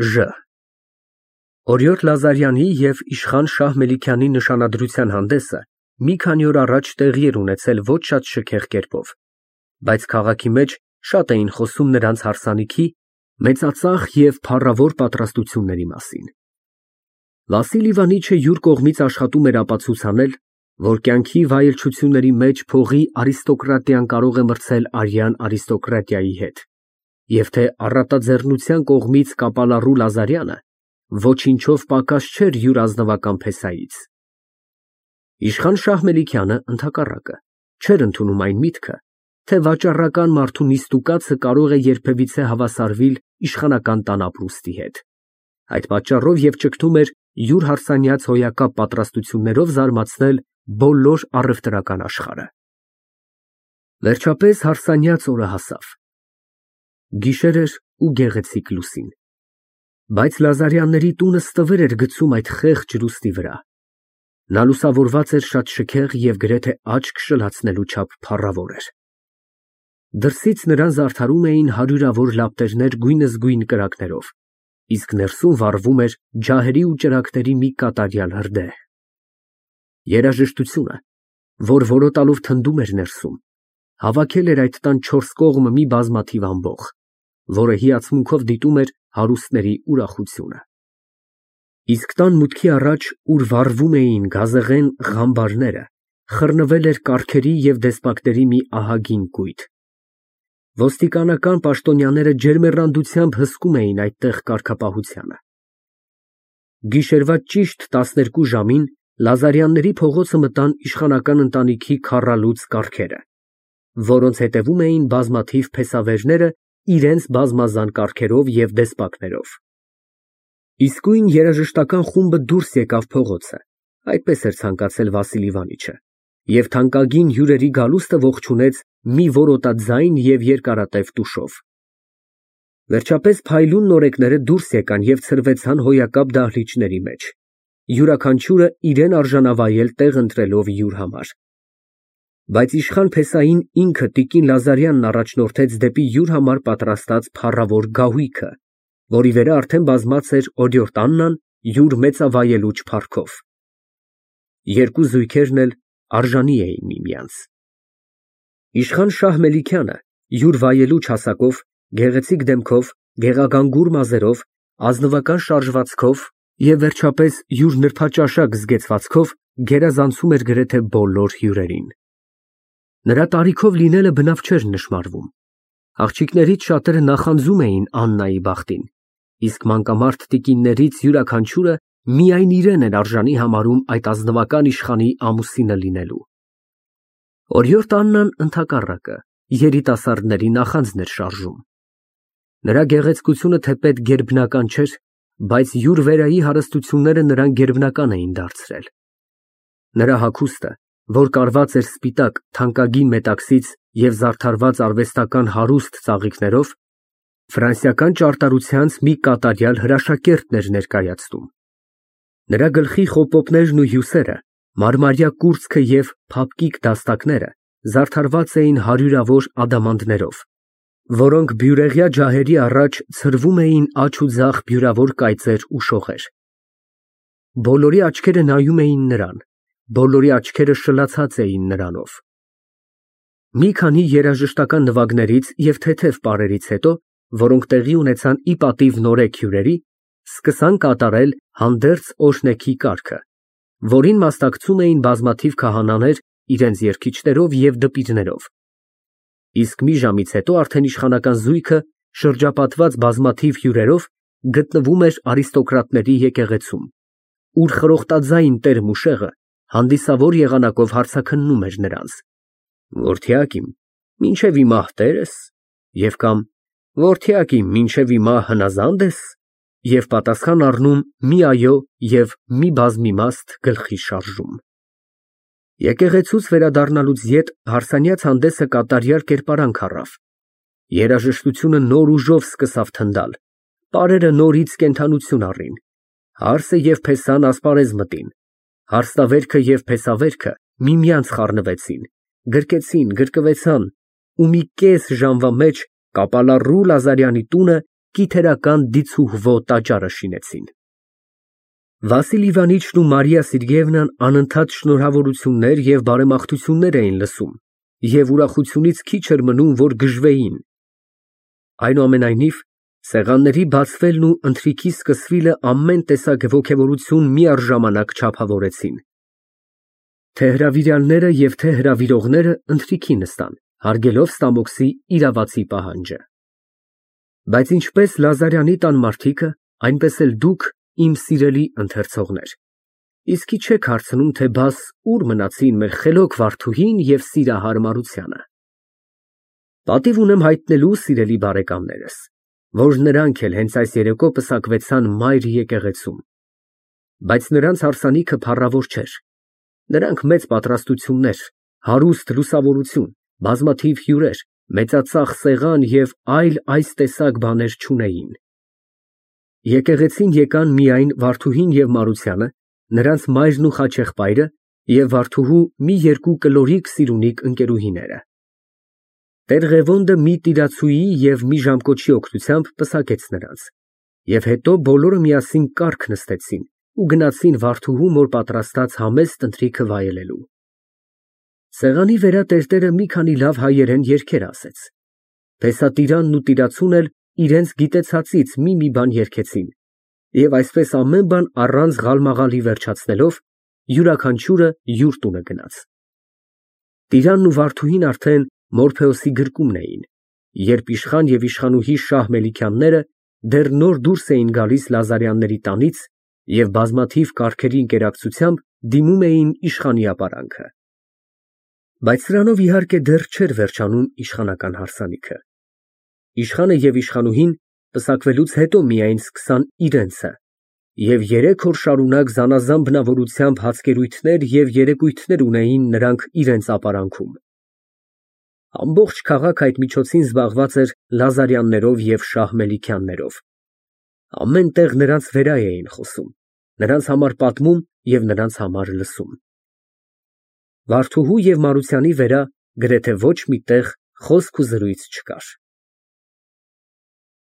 Ժ Օրիորդ Լազարյանի և իշխան Շահ Մելիքյանի նշանադրության հանդեսը մի քանի օր առաջ տեղի էր ունեցել ոչ շատ շքեղ կերպով, բայց քաղաքի մեջ շատ էին խոսում նրանց հարսանիքի, մեծածախ և փառավոր պատրաստությունների մասին։ Վասիլ Իվանիչը յուր կողմից աշխատում էր ապացուցանել, որ կյանքի վայելչությունների մեջ փողի արիստոկրատիան կարող է մրցել արյան արիստոկրատիայի հետ, և թե առատաձեռնության կողմից կապալառու Լազարյանը ոչինչով պակաս չէր յուր ազնվական փեսայից։ Իշխան Շահ Մելիքյանը, ընդհակառակը, չէր ընդունում այն միտքը, թե վաճառական մարդու նիստուկացը կարող է երբևիցե հավասարվիլ իշխանական տան ապրուստի հետ։ Այդ պատճառով և ճգնում էր յուր հարսանյաց հոյակապ պատրաստություններով զարմացնել բոլոր առևտրական աշխարհը։ Վերջապես հարսանյաց օրը հասավ։ Գիշեր էր ու գեղեցիկ լուսին, բայց Լազարյանների տունը ստվեր էր գցում այդ խեղճ լուսնի վրա։ Նա լուսավորված էր շատ շքեղ և գրեթե աչք շլացնելու չափ փառավոր էր։ Դրսից նրան զարդարում էին հարյուրավոր լապտերներ գույնզգույն կրակներով, իսկ ներսում վառվում էր ջահերի ու ճրագների մի կատարյալ հրդեհ։ Երաժշտությունը, որ որոտալով թնդում էր ներսում, հավաքել էր այդ տան չորս կողմը մի բազմաթիվ ամբոխ, որը հիացմունքով դիտում էր հարուստների ուրախությունը։ Իսկ տան մուտքի առաջ, ուր վառվում էին գազեղեն ղամբարները, խռնվել էր կառքերի և դեսպակների մի ահագին կույտ։ Ոստիկանական պաշտոնյաները ջերմեռանդությամբ հսկում էին այդտեղ կարգապահությանը։ Գիշերվա ճիշտ 12 ժամին Լազարյանների փողոցը մտան իշխանական ընտանիքի քառալուծ կառքերը, որոնց հետևում էին բազմաթիվ փեսավերները իրենց բազմազան կառքերով և դեսպակներով։ Իսկույն երաժշտական խումբը դուրս եկավ փողոցը, այդպես էր ցանկացել Վասիլ Իվանիչը, և թանկագին հյուրերի գալուստը ողջունեց մի որոտաձայն և երկարատև տուշով։ Վերջապես փայլուն նորեկները դուրս եկան և ցրվեցան հոյակապ դահլիճների մեջ, յուրաքանչյուրը իրան արժանավայել տեղ ընտրելով յուր համար։ Բայց իշխան փեսային ինքը տիկին Լազարյանն առաջնորդեց դեպի յուր համար պատրաստած փառավոր գահույքը, որի վրա արդեն բազմած էր օրիորդ Աննան յուր մեծավայելուչ փառքով։ Երկու զույգերն էլ արժանի էին միմյանց։ Իշխան Շահ Մելիքյանը յուր վայելուչ հասակով, գեղեցիկ դեմքով, գեղագանգուր մազերով, ազնվական շարժվածքով և վերջապես յուր նրբաճաշակ զգեցվածքով գերազանցում էր գրեթե բոլոր հյուրերին։ Նրա տարիքով լինելը բնավ չէր նշմարվում։ Աղջիկներից շատերը նախանձում էին Աննայի բախտին, իսկ մանկամարդ տիկիններից յուրաքանչյուրը միայն իրեն էր արժանի համարում այդ ազնվական իշխանի ամուսինը լինելու։ Օրիորդ Աննան, ընդհակառակը, երիտասարդների նախանձն էր շարժում։ Նրա գեղեցկությունը թեպետ գերբնական չէր, բայց յուր վերայի հարստությունները նրան գերբնական էին դարձրել։ Նրա հագուստը, որ կարված էր սպիտակ թանկագին մետաքսից և զարդարված արվեստական հարուստ ծաղիկներով, ֆրանսիական ճարտարությանց մի կատարյալ հրաշակերտն էր ներկայացնում։ Նրա գլխի խոպոպներն ու հյուսերը, մարմարյա կուրծքը և փափկիկ դաստակները զարդարված էին հարյուրավոր ադամանդներով, որոնք բյուրեղյա ջահերի առաջ ցրվում էին աջ ու ձախ բյուրավոր կայծեր ու շողեր։ Բոլորի աչքերը նայում էին նրան, բոլորի աչքերը շլացած էին նրանով։ Մի քանի երաժշտական նվագներից և թեթև պարերից հետո, որոնք տեղի ունեցան ի պատիվ նորեկ հյուրերի, սկսան կատարել հանդերձ օրհնեքի կարգը, որին մասնակցում էին բազմաթիվ քահանաներ իրենց երգիչներով և դպիրներով։ Իսկ մի ժամից հետո արդեն իշխանական զույգը, շրջապատված բազմաթիվ հյուրերով, գտնվում էր արիստոկրատների եկեղեցում, ուր խրոխտաձայն տեր-մուշեղը հանդիսավոր եղանակով հարցաքննում էր նրանց. «Որդյակ իմ, մինչև հիմա տեր ես» և կամ «Որդյակ իմ, մինչև հիմա հնազա՞նդ ես» և պատասխան առնում մի այո և մի բազմիմաստ գլխի շարժում։ Եկեղեցուց վերադառնալուց ետ հարսանյաց հանդեսը կատարյալ կերպարանք առավ։ Երաժշտությունը նոր ուժով սկսավ թնդալ, պարերը նորից կենդանություն առին, հարսը և փեսան ասպարեզ մտին, հարսնավերքը և փեսավերքը միմյանց խառնվեցին, գրկեցին, գրկվեցան ու մի կես ժամվա մեջ կապալառու Լազարյանի տունը կիթերական դիցուհվո տաճարը շինեցին։ Վասիլ Իվանիչն ու Մարիա Սերգեևնան անընդհատ շնորհավորություններ և բարեմաղթություններ էին լսում և ուրախությունից քիչ էր մնում, որ գժվեին։ Այնուամենայնիվ, սեղանների բացվելն ու ընթրիքի սկսվելը ամեն տեսակ ոգևորություն միառժամանակ չափավորեցին։ Թե հրավիրյալները և թե հրավիրողները ընթրիքի նստան, հարգելով Ստամոքսի իրավացի պահանջը։ Բայց ինչպես Լազարյանի տան մարդիկը, այնպես էլ դուք, իմ սիրելի ընթերցողներ, իսկի չեք հարցնում, թե բաս ուր մնացին մեր խելոք վարդուհին և սիրահար Մարությանը։ Պատիվ ունեմ հայտնելու, սիրելի բարեկամներս, որ նրանք էլ հենց այս երեկո պսակվեցան մայր եկեղեցում, բայց նրանց հարսանիքը փառավոր չէր, նրանք մեծ պատրաստություններ, հարուստ լուսավորություն, բազմաթիվ հյուրեր, մեծածախ սեղան և այլ այս տեսակ բաներ չունեին։ Եկեղեցին եկան միայն վարդուհին և Մարությանը, նրանց մայրն ու խաչեղբայրը և վարդուհու մի երկու կլորիկ սիրունիկ ընկերուհիները։ Տեր Ղևոնդը մի տիրացուի և մի ժամկոչի օգնությամբ պսակեց նրանց, և հետո բոլորը միասին կառք նստեցին ու գնացին վարդուհու մոր պատրաստած համեստ ընթրիքը վայելելու։ Սեղանի վրա տերտերը մի քանի լավ հայերեն երգեր ասեց։ Փեսատիրանն ու տիրացուն էլ իրենց գիտեցածից մի բան երգեցին, և այսպես ամեն բան առանց ղալմաղալի վերջացնելով, յուրաքանչյուրը յուր տունը գնաց։ Տիրանն ու վարդուհին արդեն Մորփեոսի գրկումն էին, երբ իշխան և իշխանուհի Շահ Մելիքյանները դեռ նոր դուրս էին գալիս Լազարյանների տանից և բազմաթիվ կառքերի ընկերակցությամբ դիմում էին իշխանի ապարանքը։ Բայց սրանով իհարկե դեռ չէր վերջանում իշխանական հարսանիքը։ Իշխանը և իշխանուհին պսակվելուց հետո միայն սկսան իրենցը և 3 օր շարունակ զանազան բնավորությամբ հացկերույթներ և երեկույթներ ունեին նրանք իրենց ապարանքում։ Ամբողջ քաղաքը այդ միջոցին զբաղված էր Լազարյաններով և Շահ Մելիքյաններով։ Ամեն տեղ նրանց վերա էին խոսում, նրանց համար պատմում և նրանց համար լսում։ Վարդուհու և Մարությանի վերա գրեթե ոչ մի տեղ խոսք ու զրույց չկար։